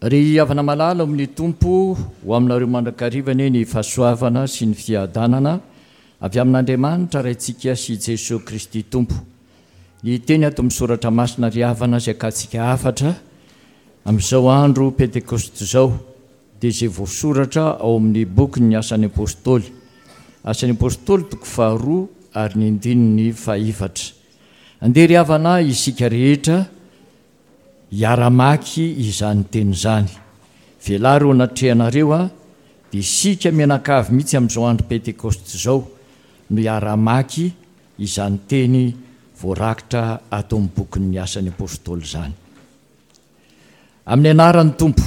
Ry havana malala ao amin'ny Tompo, ho aminareo mandrakariva anie ny fahasoavana sy ny fiadanana avy amin'Andriamanitra Raintsika sy Jesoa Kristy Tompo. Ny teny ato amin'ny Soratra Masina ry havana izay akantsika hafatra amin'izao andro Pentekosta izao dia izay voasoratra ao amin'ny bokin'ny Asan'ny Apostoly. Asan'ny Apostoly toko faharoa ary ny andininy fahefatra. Andeha ry havana isika rehetra Hiara-mamaky izany teny izany. Velaro eo anatrehanareo aho, dia isika mianakavy mihitsy amin'izao andro Pentekosta izao no hiara-hamaky izany teny voarakitra ato amin'ny bokin'ny Asan'ny Apostoly izany. Amin'ny anaran'ny Tompo.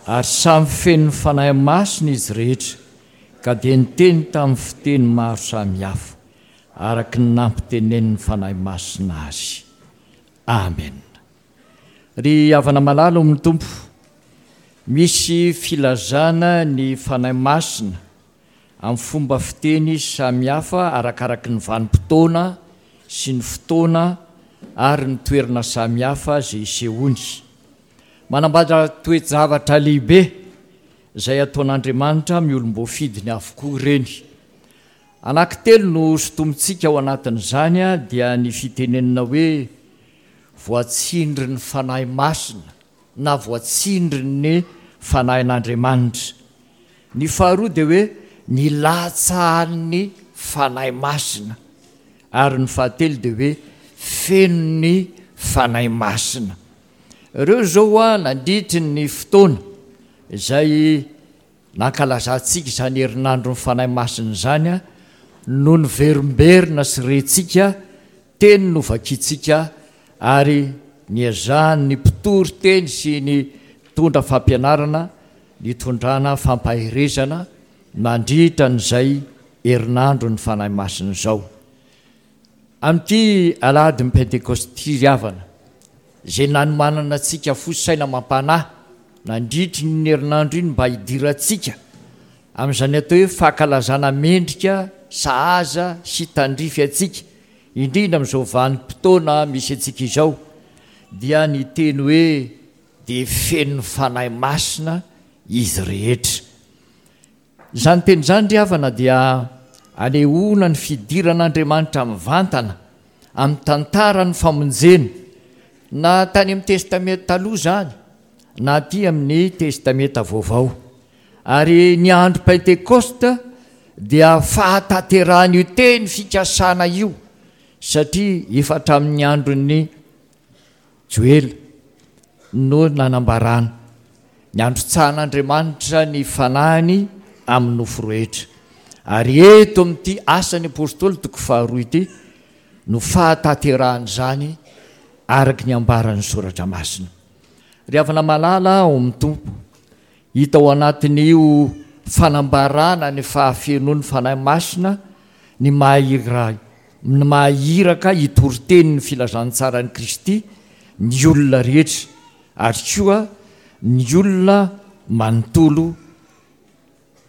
Ary samy feno ny Fanahy Masina izy rehetra, ka dia niteny tamin'ny fiteny maro samihafa, araka ny nampitenenin'ny Fanahy Masina azy. Amen. Ry havana malala ao amin'ny Tompo, misy filazana ny Fanahy Masina amin'ny fomba fiteny samihafa arakaraky ny vanim-potoana sy ny fotoana ary ny toerana samihafa izay isehoany. Manambara toe-javatra lehibe izay ataon'Andriamanitra amin'ny olom-boafidiny avokoa ireny. Anankitelo no sintomintsika ao anatin'izany dia ny fitenenana hoe voatsindrin'ny Fanahy Masina na voatsindrin'ny Fanahin'Andriamanitra. Ny faharoa dia hoe nilatsahan'ny Fanahy Masina. Ary ny fahatelo dia hoe fenon'ny Fanahy Masina. Ireo izao nandritry ny fotoana izay Nankalazantsika izany herinandron'ny Fanahy Masina izany no niverimberina sy rentsika, teny novakintsika ary niezahan'ny mpitory teny sy ny mpitondra fampianarana nitondrana fampaherezana nandritra an'izay herinandron'ny Fanahy Masina izao. Amin'ity alahadin'ny Pentekosta ity ry havana, izay nanomanana antsika fo sy saina amam-panahy nandritry ny herinandro iny mba hidirantsika amin'izany atao hoe fankalazana mendrika, sahaza sy tandrify antsika, indrindra amin'izao vanim-potoana misy antsika izao, dia ny teny hoe dia feno ny Fanahy Masina izy rehetra. Izany teny izany ry havana dia anehoana ny fidiran'Andriamanitra mivantana amin'ny tantaran'ny famonjena, na tany amin'ny Testamenta Taloha izany na aty amin'ny Testamenta Vaovao. Ary ny andro Pentekosta dia fahatanterahan'io teny fikasana io, satria efa hatramin'ny andron'ny Joela no nanambarana ny androtsahan'Andriamanitra ny Fanahiny amin'ny nofo rehetra. Ary eto amin'ity Asan'ny Apostoly toko faharoa ity no fahatanterahan'izany araka ny ambaran'ny Soratra Masina. Ry havana malala ao amin'ny Tompo, hita ao anatin'io fanambarana ny fahafenoan'ny Fanahy Masina ny maha ny maha iraka hitory teny ny filazantsaran'i Kristy ny olona rehetra ary koa ny olona manontolo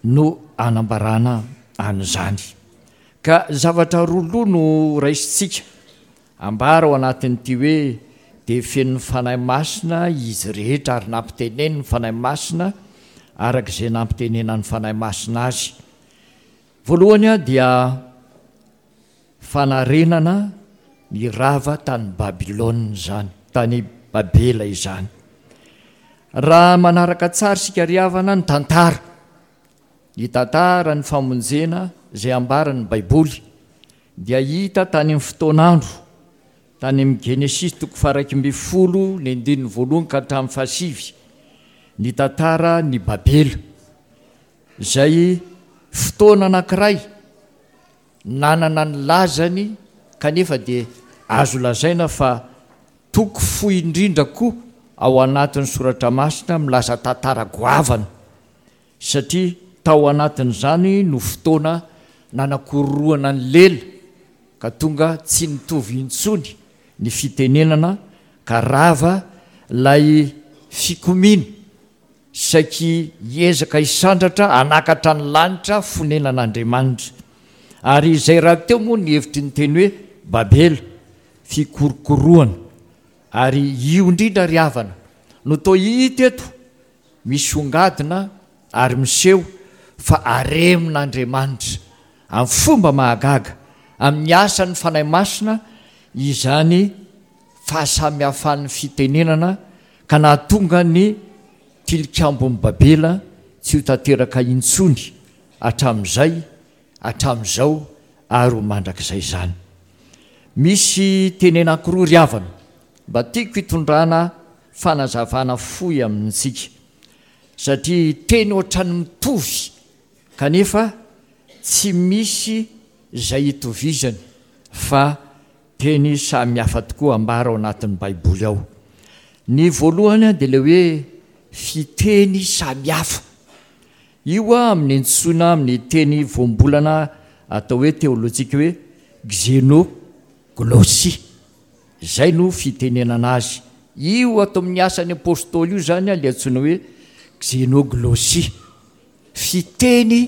no anambarana an'izany. Ka zavatra roa loha no raisintsika ambara ao anatin'ity hoe dia feno ny Fanahy Masina izy rehetra ary nampiteneniny ny Fanahy Masina araka izay nampitenenan'ny Fanahy Masina azy. Voalohany dia fanarenana ny rava tany Babylona izany, tany Babela izany. Raha manaraka tsara isika ry havana ny tantara, ny tantara ny famonjena izay ambaran'ny Baiboly dia hita tany amin'ny fotoan'andro, tany amin'ny Genesisy toko faha-11 ny andininy voalohany ka hatramin'ny fahasivy, ny tantara ny Babela. Izay fotoana anankiray nanana ny lazany kanefa dia azo lazaina fa toko fohy indrindra koa ao anatin'ny Soratra Masina milaza tantara goavana satria tao anatin'izany no fotoana nanakororohana ny lela ka tonga tsy nitovy intsony ny fitenenana ka rava ilay fikomiana Saiky hiezaka hisandratra hanakatra ny lanitra fonenan'Andriamanitra. Ary izay rahateo moa ny hevitry ny teny hoe Babela, fikorokoroana. Ary io indrindra ry havana no toa hita eto misongadina ary miseho fa aremin'Andriamanitra amin'ny fomba mahagaga amin'ny asan'ny Fanahy Masina izany fahasamihafan'ny fitenenana ka nahatonga ny Tilikambon'i Babela tsy ho tanteraka intsony hatramin'izay hatramin'izao ary ho mandrakizay izany. Misy teny anankiroa ry havana mba tiako hitondrana fanazavana fohy amintsika satria teny ohatran'ny mitovy kanefa tsy misy izay itovizany fa Teny samy hafa tokoa ambara ao anatin'ny Baiboly ao. Ny voalohany dia ilay hoe fiteny samy hafa. Io amin'ny antsoina amin'ny teny voambolana atao hoe teolojika hoe xenoglossie. Izay no fitenenana azy. Io ato amin'ny Asan'ny Apostoly io izany ilay antsoina hoe xenoglossie. Fiteny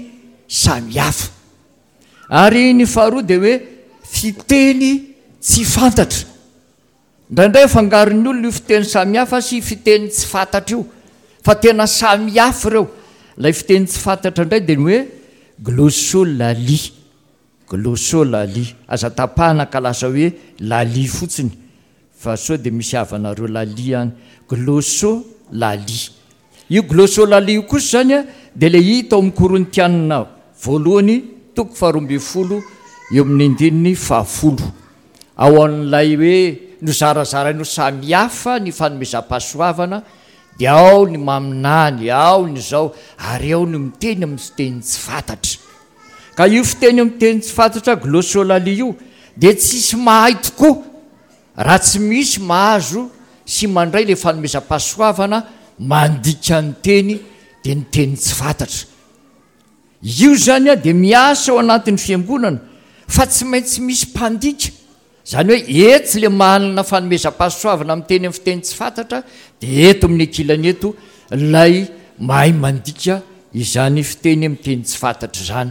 samy hafa. Ary ny faharoa dia hoe fiteny tsy fantatra. Indraindray afangaron'ny olona io fiteny samihafa sy fiteny tsy fantatra io, fa tena samihafa ireo. Ilay fiteny tsy fantatra indray dia ny hoe glossolalie, glossolalie. Aza tapahana ka lasa hoe lalie fotsiny. Fa sao dia misy havanareo lalia any. Glossolalia. Io glossolalia io kosa izany dia ilay hita ao amin'ny Korintianina voalohany toko faharoambinifolo eo amin'ny andininy fahafolo. Ao amin'ilay hoe nozarazarainy ho samy hafa ny fanomezam-pahasoavana dia ao ny maminany, ao ny izao ary ao ny miteny amin'ny fiteny tsy fantatra. Ka io fiteny amin'ny teny tsy fantatra glossolalia io dia tsisy mahay tokoa raha tsy misy mahazo sy mandray ilay fanomezam-pahasoavana mandika ny teny dia ny teny tsy fantatra. Io izany dia miasa ao anatin'ny fiangonana fa tsy maintsy misy mpandika. Izany hoe etsy ilay manana fanomezam-pahasoavana miteny amin'ny fiteny tsy fantatra dia eto amin'ny ankilany eto ilay mahay mandika izany fiteny amin'ny teny tsy fantatra izany.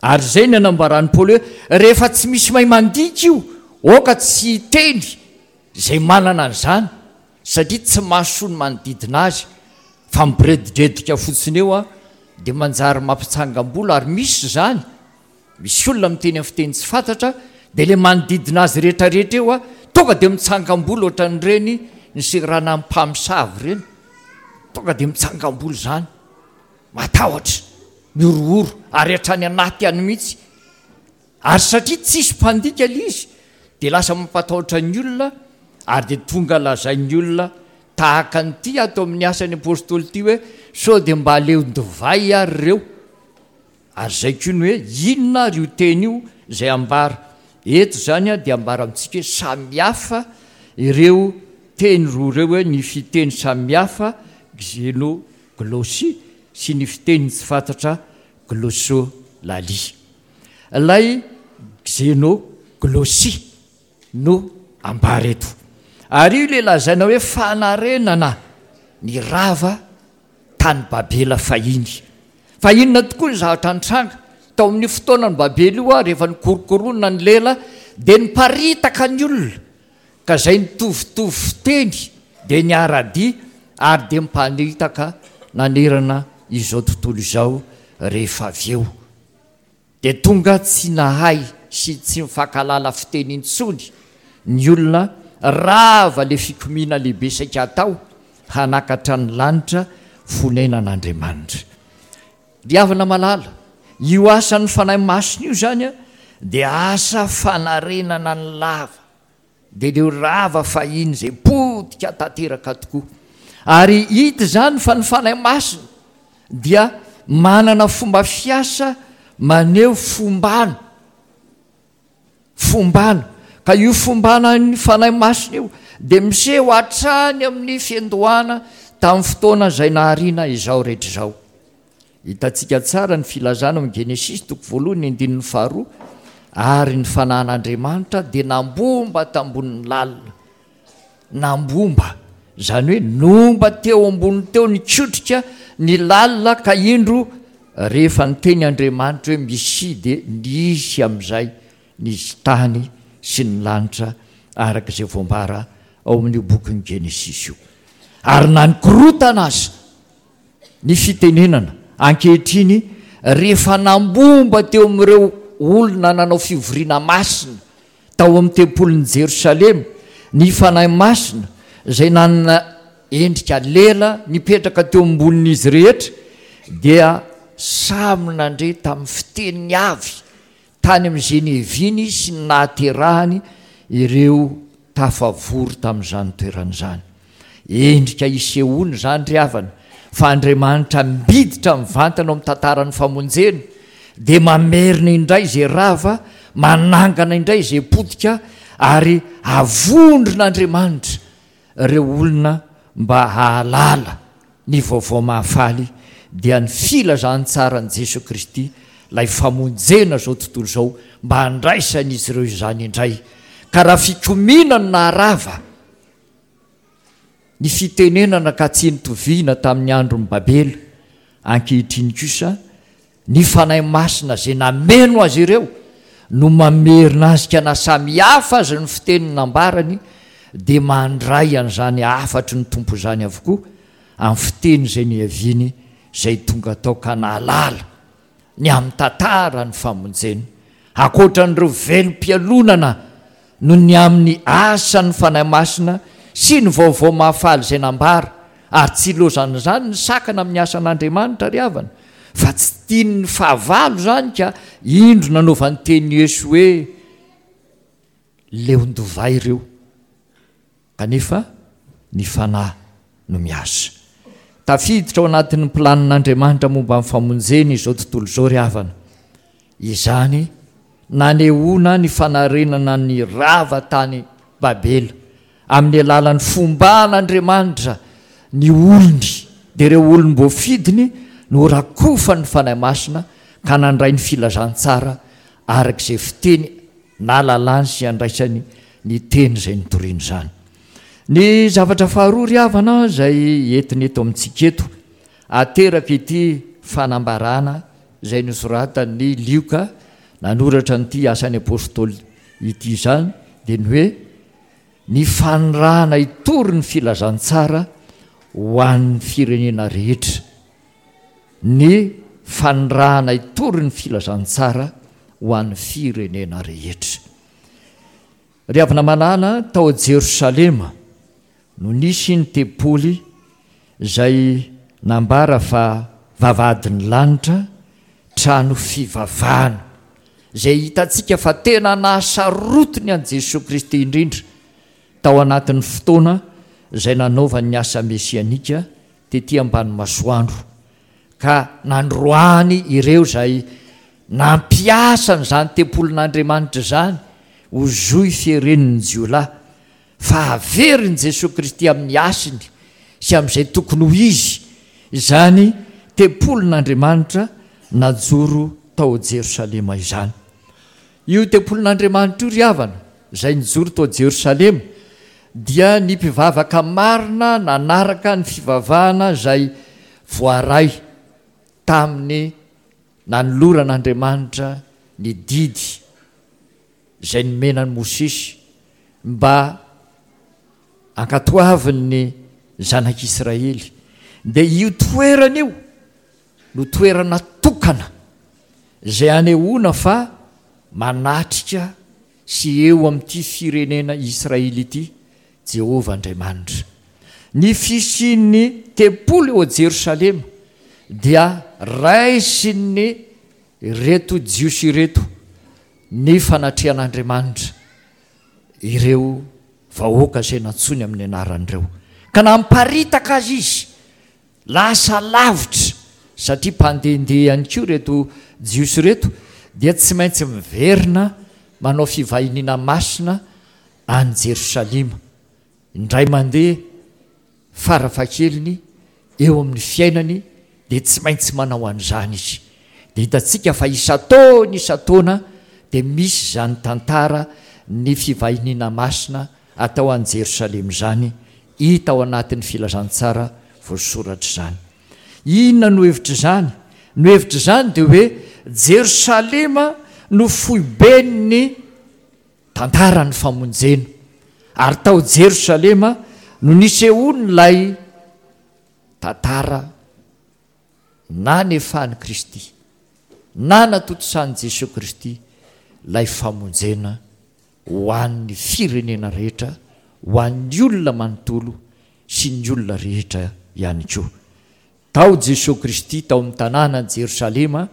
Ary izay ny anambaran'i Paoly hoe rehefa tsy misy mahay mandika io, aoka tsy hiteny izay manana an'izany satria tsy mahasoa ny manodidina azy fa miboredidredika fotsiny eo dia manjary mampitsangam-bolo ary misy izany. Misy olona miteny amin'ny fiteny tsy fantatra dia ilay manodidina azy rehetrarehetra eo tonga dia mitsangam-bolo ohatran'ireny niseranan'ny mpamosavy ireny, tonga dia mitsangam-bolo izany, matahotra, mihorohoro ary hatrany anaty any mihitsy. Ary satria tsisy mpandika ilay izy dia lasa mampatahotra ny olona ary dia tonga lazain'ny olona tahaka an'ity ato amin'ny asan'ny apostoly ity hoe sao dia mba aleon-divay ary ireo. Ary izay koa ny hoe inona ary io teny io izay ambara eto izany dia ambara amintsika hoe samihafa ireo teny roa ireo hoe ny fiteny samihafa xenoglossie sy ny fiteny tsy fantatra glossolalie. Ilay xenoglossie no ambara eto. Ary io ilay lazaina hoe fanarenana ny rava tany Babela fahiny. Fa inona tokoa ny zavatra nitranga? Tao amin'io fotoanan'i Babela io, rehefa nikorokoronina ny lela, dia niparitaka ny olona, ka izay nitovitovy fiteny dia niara-dia ary dia niparitaka nanerana izao tontolo izao rehefa avy eo. Dia tonga tsy nahay sy tsy nifankahalala fiteny intsony ny olona, rava ilay fikomiana lehibe saika hatao hanakatra ny lanitra fonenan'Andriamanitra. Ry havana malala, io asan'ny Fanahy Masina io izany dia asa fanarenana ny lava. Dia ireo rava fahiny izay potika tanteraka tokoa. Ary hita izany fa ny Fanahy Masina dia manana fomba fiasa maneho fombana. Fombana. Ka io fombanan'ny Fanahy Masina io dia miseho hatrany amin'ny fiandohana tamin'ny fotoana izay nahariana izao rehetra izao. Hitantsika tsara ny filazana ao amin'ny Genesisy toko voalohany andininy faharoa, Ary ny fanahin'Andriamanitra dia nambomba tambonin'ny lalina. Nambomba, izany hoe nomba teo ambony teo nikotrika ny lalina ka indro rehefa niteny Andriamanitra hoe misia dia nisy amin'izay ny tany sy ny lanitra araka izay voambara ao amin'io bokin'ny Genesisy io. Ary na nikorotana aza ny fitenenana ankehitriny rehefa nambomba teo amin'ireo olona nanao fivoriana masina tao amin'ny tempolin'i Jerosalema ny Fanahy Masina izay nanana endrika lela nipetraka teo ambonin'izy rehetra dia samy nandre tamin'ny fiteniny avy tany amin'izay niaviany sy ny nahaterahany ireo tafavory tamin'izany toerana izany. Endrika isehoana izany ry havana, fa Andriamanitra miditra mivantana ao amin'ny tantaran'ny famonjena, dia mamerina indray izay rava, manangana indray izay potika, ary avondron'Andriamanitra ireo olona mba hahalala ny vaovao mahafaly dia ny filazantsaran'i Jesoa Kristy, ilay famonjena izao tontolo izao, mba handraisan'izy ireo izany indray. Ka raha fikomiana no naharava ny fitenenana ka tsy nitoviana tamin'ny andron'i Babela, ankehitriny kosa Ny Fanahy Masina izay nameno azy ireo no mamerina azy ka na samy hafa aza ny fiteny nambarany dia mandray an'izany hafatry ny Tompo izany avokoa amin'ny fiteny izay niaviany izay tonga tao ka nahalala ny amin'ny tantara ny famonjena. Ankoatra an'ireo velom-pialonana noho ny amin'ny asan'ny Fanahy Masina sy ny vaovao mahafaly izay nambara, ary tsy ilaozan'izany ny sakana amin'ny asan'Andriamanitra ry havana, fa tsy tian'ny fahavalo izany ka indro nanaovany teny Yesu hoe leon-dovay ireo. Kanefa ny Fanahy no miasa. Tafiditra ao anatin'ny planin'Andriamanitra momba ny famonjena izao tontolo izao ry havana. Izany nanehoana ny fanarenana ny rava tany Babela amin'ny alalan'ny fomban'Andriamanitra ny olony, dia ireo olom-boafidiny no rakofan'ny Fanahy Masina ka nandray ny filazantsara araka izay fiteny nahalalany sy handraisany ny teny izay nitoriany izany. Ny zavatra faharoa ry havana izay entina eto amintsika eto, ateraka ity fanambarana izay nosoratan'i Lioka nanoratra an'ity Asan'ny Apostoly ity izany dia ny hoe ny fanirahana hitory ny filazantsara ho an'ny firenena rehetra. Ny fanirahana hitory ny filazantsara ho an'ny firenena rehetra. Ry havana malala, tao Jerosalema no nisy ny tempoly izay nambara fa vavahadin'ny lanitra, trano fivavahana, izay hitantsika fa tena nahasarotiny an'i Jesoa Kristy indrindra tao anatin'ny fotoana izay nanaovany ny asa mesianika tety ambany masoandro, ka nandroahany ireo izay nampiasa an'izany tempolin'Andriamanitra izany ho zohy fieren'ny jiolahy, fa haverin'i Jesoa Kristy amin'ny hasiny sy amin'izay tokony ho izy izany tempolin'Andriamanitra najoro tao Jerosalema izany. Io tempolin'Andriamanitra io ry havana, izay nijoro tao Jerosalema, dia ny mpivavaka marina nanaraka ny fivavahana izay voaray tamin'ny nanoloran'Andriamanitra ny didy izay nomena an'i Mosesy mba hankatoavin'ny zanak'Israely, dia io toerana io no toerana tokana izay anehoana fa manatrika sy eo amin'ity firenena Israely ity Jehovah Andriamanitra. Ny fisian'ny tempoly ao Jerosalema dia raisin'ny ireto Jiosy ireto ny fanatrehan'Andriamanitra ireo vahoaka izay nantsoiny amin'ny anarany ireo. Ka namparitaka azy izy Lasa lavitra, satria mpandehandeha ihany koa ireto Jiosy ireto, dia tsy maintsy miverina manao fivahiniana masina any Jerosalema, indray mandeha farafahakeliny eo amin'ny fiainany dia tsy maintsy manao an'izany izy. Dia hitantsika fa isan-taona isan-taona dia misy izany tantara ny fivahiniana masina atao any Jerosalema izany, hita ao anatin'ny filazantsara voasoratra izany. Inona no hevitr'izany? Ny hevitr'izany dia hoe Jerosalema no foiben'ny tantaran'ny famonjena, ary tao Jerosalema no nisehoan'ilay. Tantara nanefan'i Kristy, nanatontosan'i Jesoa Kristy ilay famonjena ho an'ny firenena rehetra, ho an'ny olona manontolo sy ny olona rehetra ihany koa. Tao Jesoa Kristy tao amin'ny tanànan'i Jerosalema,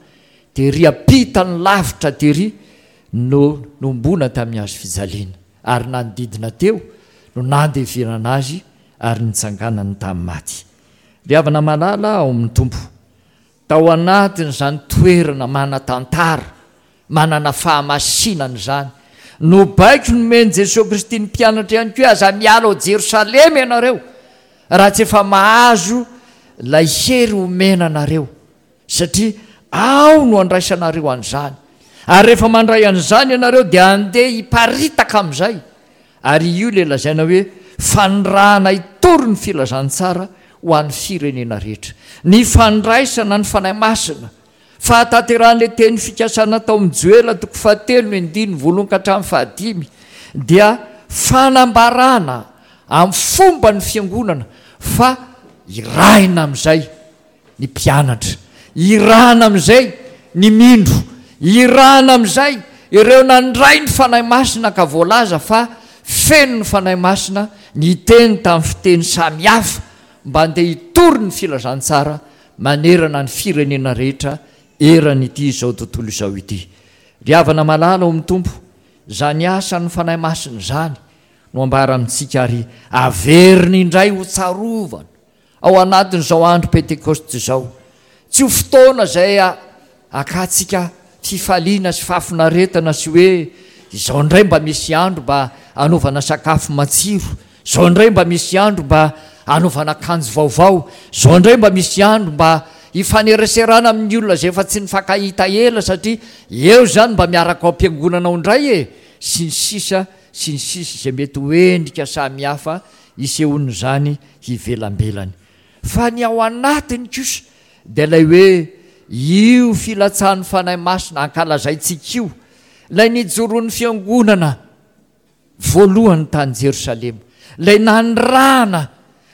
tery am-pitany lavitra tery no nohomboana tamin'ny hazo fijaliana, ary nanodidina teo no nandevenana Azy ary nitsanganany tamin'ny maty. Ry havana malala ao amin'ny Tompo, tao anatin'izany toerana manan-tantara, manana fahamasinana izany, no baiko nomen'i Jesoa Kristy ny mpianatra ihany koa hoe aza miala ao Jerosalema ianareo raha tsy efa mahazo ilay hery omena anareo, satria ao no andraisanareo an'izany, ary rehefa mandray an'izany ianareo dia handeha hiparitaka amin'izay. Ary io ilay lazaina hoe fanirahana hitory ny filazantsara ho an'ny firenena rehetra. Ny fandraisana ny Fanahy Masina, fahatanterahan'ilay teny fikasana tao amin'ny Joela toko fahatelo ny andininy voalohany ka hatramin'ny fahadimy dia fanambarana amin'ny fomban'ny fiangonana fa irahina amin'izay ny mpianatra, irahana amin'izay ny mindro, irahana amin'izay ireo nandray ny Fanahy Masina ka voalaza fa feno ny Fanahy Masina niteny tamin'ny fiteny samy hafa mba handeha hitory ny filazantsara manerana ny firenena rehetra eran'ity izao tontolo izao ity. Ry havana malala ao amin'ny Tompo, izany asan'ny Fanahy Masina izany no ambara amintsika ary averina indray ho tsarovana Ao anatin'izao andro Pentekosta izao, tsy ho fotoana izay hakantsika fifaliana sy fahafinaretana sy hoe izao indray mba misy andro mba hanaovana sakafo matsiro, izao indray mba misy andro mba hanaovana akanjo vaovao, izao indray mba misy andro mba hifaneraserana amin'ny olona izay efa tsy nifankahita ela satria eo izany mba miaraka ao am-piangonana ao indray e, sy ny sisa sy ny sisa izay mety ho endrika samihafa isehoan'izany hivelambelany. Fa ny ao anatiny kosa dia ilay hoe io filatsahan'ny Fanahy Masina ankalazaintsika io, ilay nijoroan'ny Fiangonana voalohany tany Jerosalema, ilay nanirahana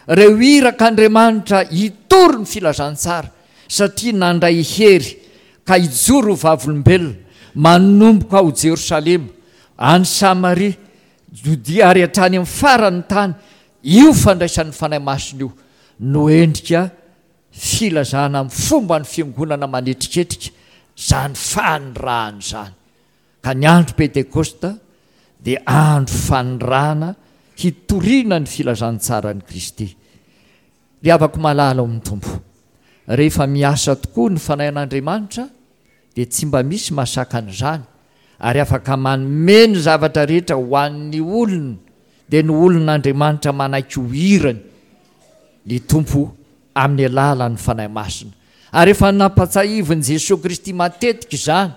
ireo irak'Andriamanitra hitory ny filazantsara satria nandray hery ka hijoro ho vavolombelona manomboka ao Jerosalema, any Samaria, Jodia ary hatrany amin'ny faran'ny tany, io fandraisan'ny Fanahy Masina io no endrika filazana amin'ny fomban'ny Fiangonana manetriketrika izany fanirahana izany. Ka ny andro Pentekosta dia andro fanirahana hitoriana ny filazantsaran'i Kristy. Ry havako malala ao amin'ny Tompo, rehefa miasa tokoa ny Fanahin'Andriamanitra dia tsy mba misy mahasakana izany ary afaka manome ny zavatra rehetra ho an'ny olony, dia ny olon'Andriamanitra manaiky ho irany ny Tompo amin'ny alalan'ny Fanahy Masina. Ary efa nampatsahivin'i Jesoa Kristy matetika izany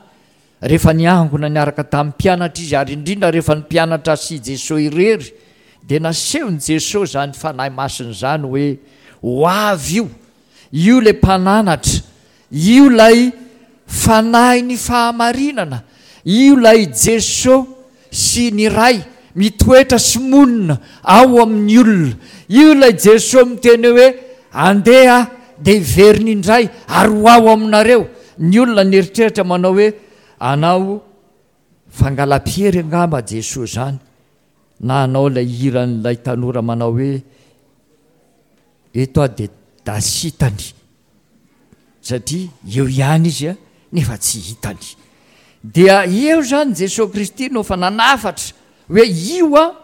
rehefa niangona niaraka tamin'ny mpianatra Izy, ary indrindra rehefa ny mpianatra sy Jesoa irery, dia nasehon'i Jesoa izany Fanahy Masina izany hoe ho avy io Io ilay mpananatra, io ilay Fanahin'ny fahamarinana, io ilay Jeso sy ny Ray mitoetra sy monina ao amin'ny olona, io ilay Jeso miteny hoe andeha aho dia hiverina indray ary ho ao aminareo. Ny olona nieritreritra manao hoe anao fangalam-piery angamba Jeso izany na anao ilay hiran'ilay tanora manao hoe Eto aho dia dasy hitany satria eo ihany izy nefa tsy hitany. Dia eo izany Jesoa Kristy no efa nanafatra hoe io an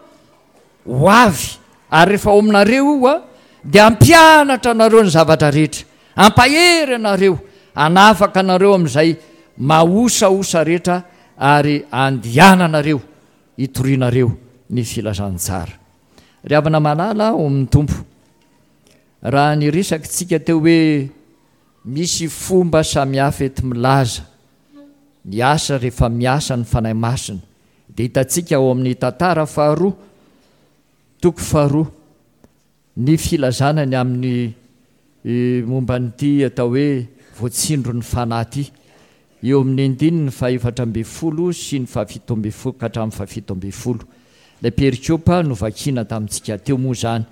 ho avy ary rehefa ao aminareo io an dia hampianatra anareo ny zavatra rehetra, hampahery anareo, hanafaka anareo amin'izay mahosahosa rehetra ary andehananareo hitorianareo ny filazantsara. Ry havana malala ao amin'ny Tompo, raha niresaka isika teo hoe misy fomba samihafa enti-milaza ny asa rehefa miasa ny Fanahy Masina, dia hitantsika ao amin'ny tantara faharoa, toko faharoa, Ny filazana ny amin'ny momba an'ity atao hoe voatsindron'ny fanahy ity, eo amin'ny andininy fahefatra ambin'ny folo sy ny fahafito ambin'ny folo ka hatramin'ny fahafito ambin'ny folo. Ilay perikopa novakiana tamintsika teo moa izany.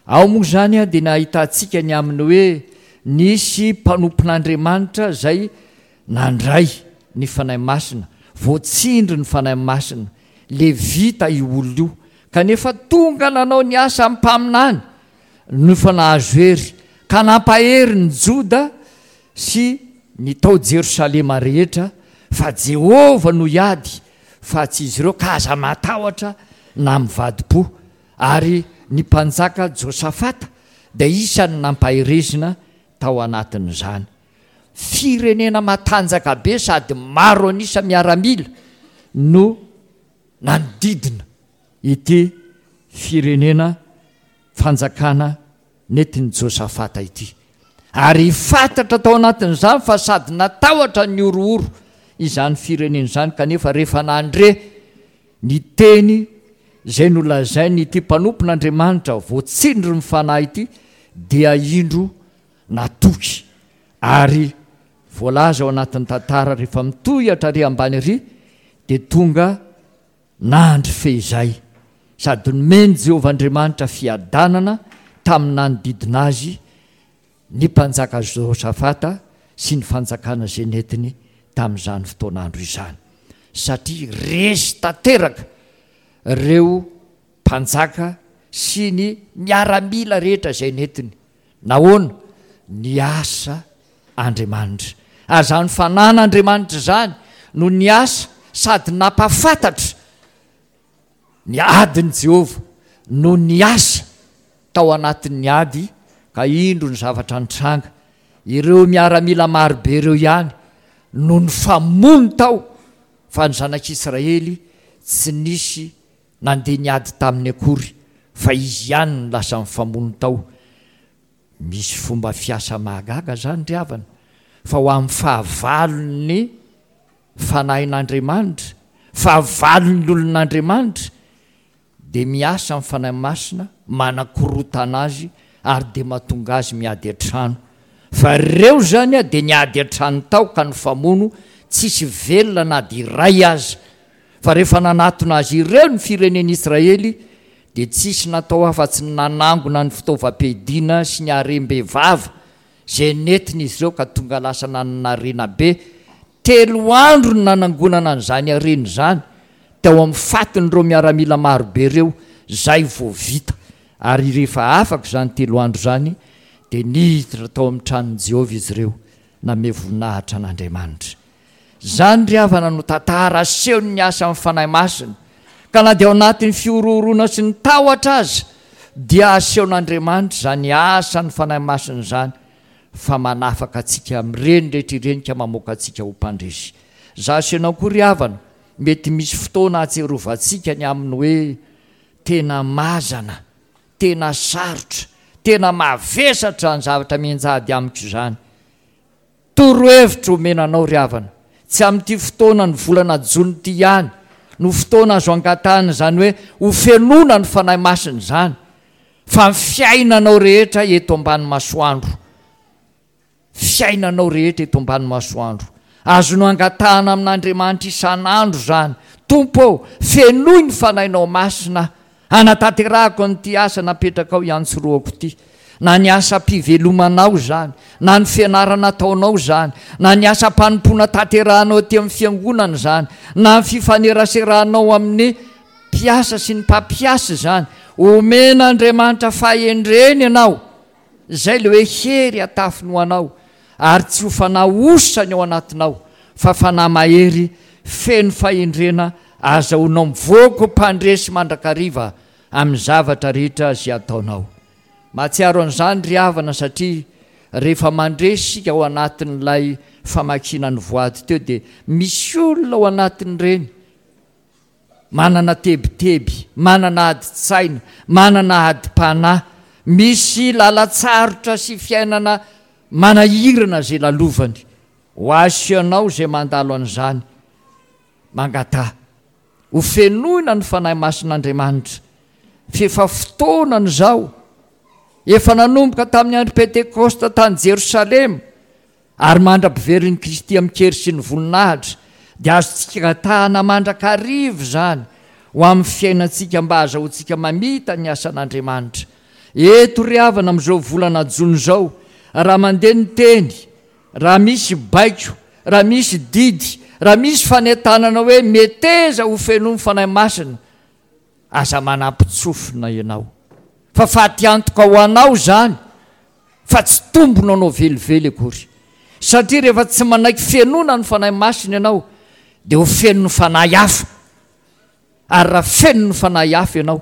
Ao moa izany dia nahitantsika ny amin'ny hoe nisy mpanompon'Andriamanitra izay nandray ny Fanahy Masina, voatsindry ny Fanahy Masina, Levita io olona io, kanefa tonga nanao ny asan'ny mpaminany no efa nahazo hery, ka nampahery ny Joda sy ny tao Jerosalema rehetra fa Jehovah no hiady fa tsy izy ireo, ka aza matahotra na mivadi-po. Ary ny mpanjaka Josafata dia isan'ny nampaherezina tao anatin'izany. Firenena matanjaka be sady maro an'isa miaramila no nanodidina ity firenena fanjakana nentin'i Josafata ity. Ary fantatra tao anatin'izany fa sady natahotra ny horohoro izany firenena izany kanefa rehefa nandre ny teny izay nolazain'ity mpanompon'Andriamanitra voatsindrin'ny Fanahy ity dia indro natoky ary voalaza ao anatin'ny tantara rehefa mitohy hatrary ambany ary dia tonga nandry fehizay sady nomen'i Jehovah Andriamanitra fiadanana tamin'ny nanodidina azy ny mpanjaka Josafata sy ny fanjakana izay nentiny tamin'izany fotoan'andro izany satria resy tanteraka ireo mpanjaka sy ny miaramila rehetra izay nentiny. Nahoana? Niasa Andriamanitra. Ary izany fanan'Andriamanitra izany no niasa sady nampahafantatra ny adin'i Jehovah no niasa tao anatin'ny ady ka indro ny zavatra nitranga. Ireo miaramila marobe ireo ihany no nifamono tao fa ny zanak'Israely tsy nisy nandeha niady taminy akory fa izy ihany no lasa nifamono tao. Misy fomba fiasa mahagaga izany ry havana fa ho amin'ny fahavalon'ny Fanahin'Andriamanitra, fahavalon'ny olon'Andriamanitra dia miasa ny Fanahy Masina manakorotana azy ary dia mahatonga azy miady an-trano. Fa ireo izany dia niady an-trano tao ka nifamono tsisy velona na dia iray aza. Fa rehefa nanatona azy ireo ny firenen'Israely dia tsisy natao afa-tsy ny nanangona ny fitaovam-piadiana sy ny harem-behivava izay nentin'izy ireo ka tonga lasa nanana harena be. Telo andro no nanangonana an'izany harena izany tao amin'ny fatin'ireo miaramila marobe ireo izay vao vita. Ary rehefa afaka izany telo andro izany dia niditra tao amin'ny tranon'i Jehovah izy ireo nanome voninahitra an'Andriamanitra. Izany ry havana no tantara asehon'ny asan'ny Fanahy Masina, ka na dia ao anatin'ny fihorohoroana sy ny tahotra aza dia asehon'Andriamanitra izany asan'ny Fanahy Masina izany fa manafaka antsika amin'ireny rehetra ireny ka mamoaka antsika ho mpandresy. Izaho sy ianao koa ry havana, mety misy fotoana ahatsiarovantsika ny amin'ny hoe tena mazana, tena sarotra, tena mavesatra izany zavatra mianjady amiko izany. Torohevitra omena anao ry havana, tsy amin'ity fotoana ny volana jona ity ihany no fotoana azo angatahana izany hoe ho fenoina ny Fanahy Masina izany fa ny fiainanao rehetra eto ambany masoandro, fiainanao rehetra eto ambany masoandro. Azonao angatahana amin'Andriamanitra isan'andro izany, Tompo ô, fenoy ny Fanahinao Masina aho Hanatanterahako an'ity asa napetrakao hiantsorohako ity, na ny asam-pivelomanao izany, na ny fianarana ataonao izany, na ny asam-panompoana tanterahanao aty amin'ny fiangonana izany, na ny fifaneraseranao amin'ny mpiasa sy ny mpampiasa izany. Omen'Andriamanitra fahendrena ianao. Izay ilay hoe hery atafiny ho anao, ary tsy ho fanahy osa ny ao anatinao, fa fanahy mahery, feno fahendrena, azahoanao mivoaka ho mpandresy mandrakariva amin'ny zavatra rehetra izay ataonao. Mahatsiaro an'izany ry havana satria rehefa mandresy isika ao anatin'ilay famakiana ny voady teo dia misy olona ao anatin'ireny manana tebiteby, manana adin-tsaina, manana adim-panahy, misy lalan-tsarotra sy fiainana manahirana izay lalovany. Ho ahy sy ianao izay mandalo an'izany, mangataha ho fenoina ny Fanahy Masin'Andriamanitra, f'efa fotoanany izao, efa nanomboka tamin'ny andro Pentekosta tany Jerosalema, Ary mandra-piverin'i Kristy amin-kery sy ny voninahitra, dia azontsika angatahana mandrakariva izany ho amin'ny fiainantsika mba hahazahoantsika mamita ny asan'Andriamanitra. Eto ry havana amin'izao volana jona izao, raha mandeha ny teny, raha misy baiko, raha misy didy, raha misy fanentanana hoe meteza ho fenoin'ny Fanahy Masina, aza manampin-tsofina ianao. Fa fatiantoka ho anao izany fa tsy tombony ho anao velively akory. Satria rehefa tsy manaiky fenoina ny Fanahy Masina ianao dia ho feno ny fanahy hafa. Ary raha feno ny fanahy hafa ianao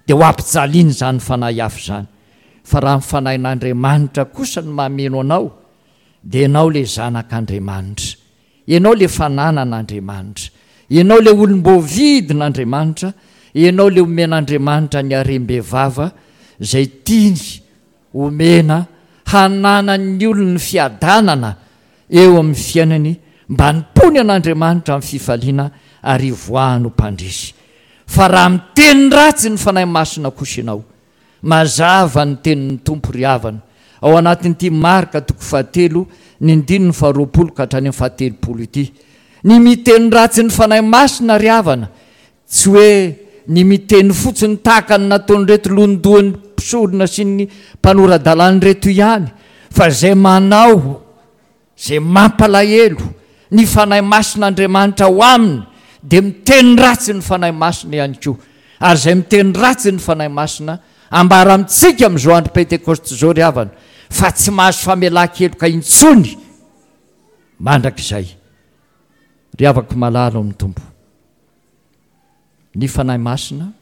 dia ho ampijaliana izany fanahy hafa izany. Fa raha ny Fanahin'Andriamanitra kosa no mameno anao dia ianao ilay zanak'Andriamanitra. Ianao ilay fananan'Andriamanitra. Ianao ilay olom-boavidin'Andriamanitra. Ianao ilay omen'Andriamanitra ny harem-bevava izay tiany omena hananan'ny olony fiadanana eo amin'ny fiainany mba hanompoany an'Andriamanitra amin'ny fifaliana ary hivoahany ho mpandresy. Fa raha miteny ratsy ny Fanahy Masina kosa ianao, mazava ny tenin'ny Tompo ry havana, ao anatin'ity Marka toko fahatelo ny andininy faharoapolo ka hatrany amin'ny fahatelopolo ity. Ny miteny ratsy ny Fanahy Masina ry havana Tsy hoe ny miteny fotsiny tahaka ny nataon'ireto lohandohan'ny mpisorona sy ny mpanora-dalàna ireto ihany, fa izay manao izay mampalahelo ny Fanahy Masin'Andriamanitra ao aminy dia miteny ratsy ny Fanahy Masina ihany koa. Ary izay miteny ratsy ny Fanahy Masina, ambara amintsika amin'izao andro Pentekosta izao ry havana, fa tsy mahazo famelan-keloka intsony mandrakizay. Ry havako malala ao amin'ny Tompo, ny Fanahy Masina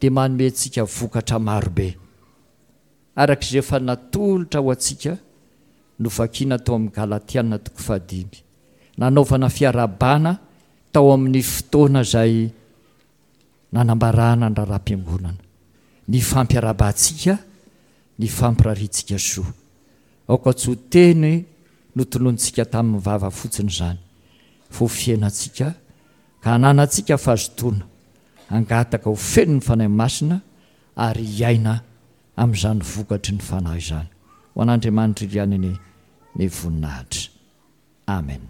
dia manome antsika vokatra marobe, araka izay efa natolotra ho antsika novakiana tao amin'ny Galatiana toko fahadimy, nanaovana fiarahabana tao amin'ny fotoana izay nanambarana ny raharaham-piangonana, ny fampiarahabantsika, ny fampirariantsika soa. Aoka tsy ho teny notononintsika tamin'ny vava fotsiny izany, fa ho fiainantsika, ka hananantsika fahazotoana hangataka ho feno ny Fanahy Masina ary hiaina amin'izany vokatry ny Fanahy izany. Ho an'Andriamanitra ihany anie ny voninahitra. Amen.